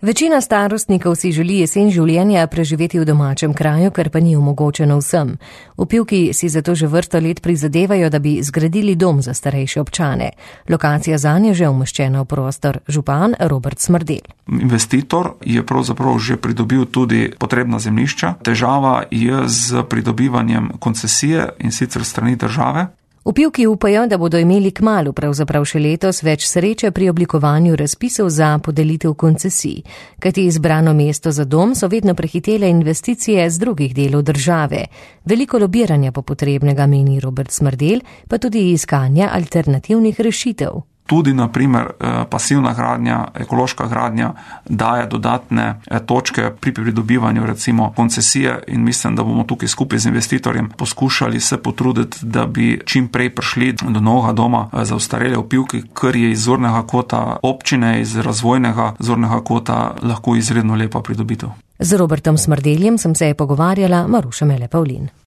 Večina starostnikov si želi jesen življenja preživeti v domačem kraju, kar pa ni omogočeno vsem. V Pivki si zato že vrsto let prizadevajo, da bi zgradili dom za starejše občane. Lokacija zanje je že umeščena v prostor. Župan Robert Smrdelj. Investitor je pravzaprav že pridobil tudi potrebna zemljišča. Težava je z pridobivanjem koncesije in sicer strani države. V Pivki upajo, da bodo imeli kmalu, pravzaprav še letos, več sreče pri oblikovanju razpisov za podelitev koncesij, kajti izbrano mesto za dom so vedno prehitele investicije z drugih delov države. Veliko lobiranja po potrebnega, meni Robert Smrdelj, pa tudi iskanja alternativnih rešitev. Tudi, na primer, pasivna gradnja, ekološka gradnja daje dodatne točke pri pridobivanju recimo koncesije in mislim, da bomo tukaj skupaj z investitorjem poskušali se potruditi, da bi čim prej prišli do novega doma za ostarele v Pivki, kar je iz zornega kota občine, iz razvojnega zornega kota lahko izredno lepa pridobitev. Z Robertom Smrdeljem sem se pogovarjala Maruša Mele Pavlin.